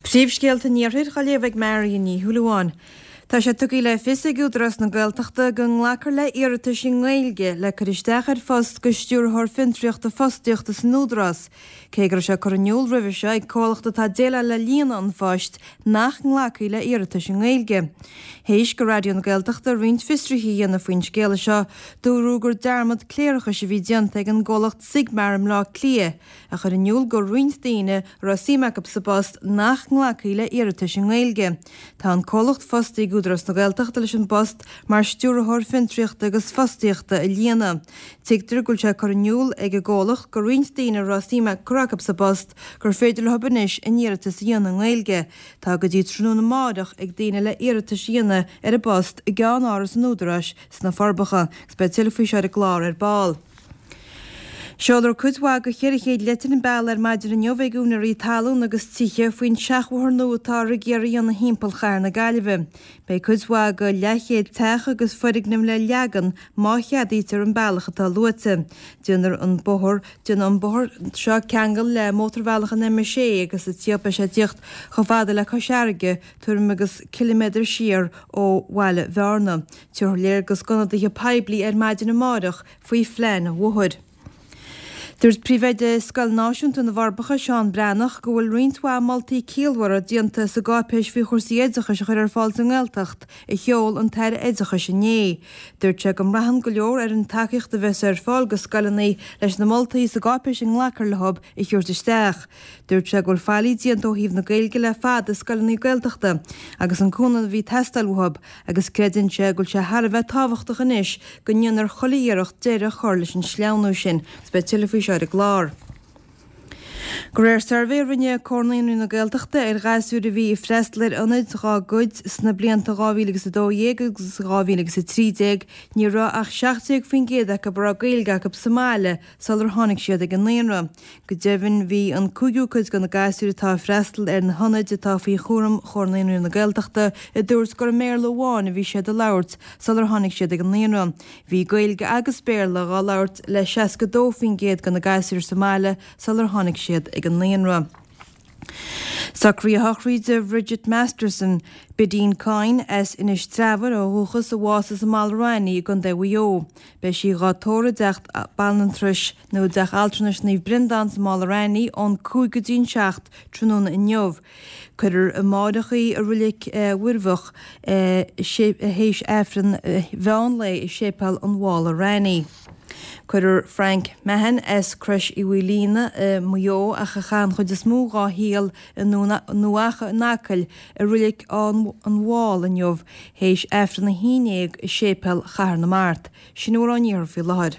Príomhscéalta an Iarthair á léamh ag Marion Ní Shúilleabháin. Tá sé tugtha le fios ag Údarás na Gaeltachta go nglacfar le iarratais i nGaeilge le cur isteach ar phost go Stiúrthóir Fiontraíochta Fostaíochta san Údarás, cé go raibh sé curtha in iúl roimhe seo ag comhlacht atá ag déileáil le líonadh an phoist nach nglacfaí le iarratais i nGaeilge. Théis go Raidió na Gaeltachta roinnt fiosruithe a dhéanamh faoin scéala seo, dúradh gur dearmad cléireachais a bhí déanta ag an gcomhlacht Sigmar i mBleá Cliath, a chuir in iúl go roinnt daoine a raibh suim acu sa bpost nach nglacfaí le iarratais i nGaeilge. Tá an comhlacht fostaithe ag Údarás na Gaeltachta leis an bpost mar Stiúrthóir Fiontraíochta agus Fostaíochta a líonadh. Tuigtear go bhfuil sé curtha in iúl ag an gcomhlacht go roinnt daoine a raibh suim curtha acu sa bpost gur féidir leo anois a n-iarratas a dhéanamh i nGaeilge. Tá go dtí tráthnóna amáireach ag daoine le iarratais a dhéanamh ar an bpost i gceann-áras an Údaráis sna Forbacha agus beidh tuilleadh faoi seo ar an gclár ar ball. Seolfar cuid mhaith de 400 leitir an bealach ar maidin inniu ag úinéirí talún agus tithe faoin seachbhóthar nua atáthar ag iarraidh a dhéanamh thimpeall chathair na Gaillimhe. Beidh cuid mhaith de leathchéad teach agus foirgneamh le leagan má cheadaítear an bealach atá luaite. Déanfar an bóthar Déanfaidh an bóthar seo ceangal le mótarbhealach an M6 agus sa tíocht beidh sé ag tíocht chomh fada le Cois Fharraige, tuairim agus ciliméadar siar ó bhaile Bhearna. Tabharfar léargas d'ionadaithe poiblí ar maidin amáireach faoi phlean an bhóthair. Dúirt Príomhoide Scoil Náisiúnta na bhForbacha, Seán Breathnach, go bhfuil roinnt mhaith moltaí ciallmhara déanta sa gcáipéis faoi chúrsaí oideachais a chur ar fáil sa nGaeltacht a sheol an tAire Oideachais inné. Dúirt sé go mbraitheann go leor ar an tacaíocht a bheas ar fáil go scoileanna leis na moltaí sa gcáipéis a nglacfar leo a thabhairt isteach. Dúirt sé go bhfuil faillí déanta ó thaobh na Gaeilge le fada i scoileanna Gaeltachta agus an cúnamh a bhí ag teastáil uathu agus creideann sé go bhfuil sé thar a bheith tábhachtach anois go ndéanfar chuile iarracht deireadh a chur leis an sleamhnú sin agus beidh tuilleadh faoi seo ar an gclár. De réir suirbhé a rinne Comhar Naíonraí na Gaeltachta ar ghasúir a bhí ag freastal ar ionaid dhá gcuid sna blianta 2000 agus 12 agus 2000 agus 13, ní raibh ach 17% acu a raibh Gaeilge acu sa mbaile sular tháinig siad ag an naíonra. Go deimhin, bhí an cúigiú cuid de na gasúir atá ag freastal ar na hionaid atá faoi chúram Chomhar Naíonraí na Gaeltachta a dúirt gur i mBéarla amháin a bhí siad a labhairt sular tháinig siad ag an naíonra. Bhí Gaeilge agus Béarla dhá labhairt le 62% de na gasúir sa mbaile sular tháinig siad ag an naíonra. Socruithe sochraide Bhridget Masterson, Bidín Coyne, as Inis Treabhair ó dhúchas, a bhásaigh sa Mhala Raithní i gContae Mhaigh Eo. Beidh sí dhá tórramh i dteach banaltrais nó i dteach altranais Naomh Breandán sa Mhála Raithní ón 5 go dtí an 7 tráthnóna inniu. Cuirfear amáireach í i Roilig Mhuirbheach théis Aifreann mheán lae i Séipéal an Mhála Raithní. Cuirfear Frank Mahon as Crois Uí Mhaoilíona i Maigh Eo ach a chaith an chuid is mó dhá shaol i nDún Acha in Acaill i Roilig an Mháil inniu théis Aifreann a haon dhéag i Séipéal Chathair na Mart. Sin a bhfuil ón iarthar faoi láthair.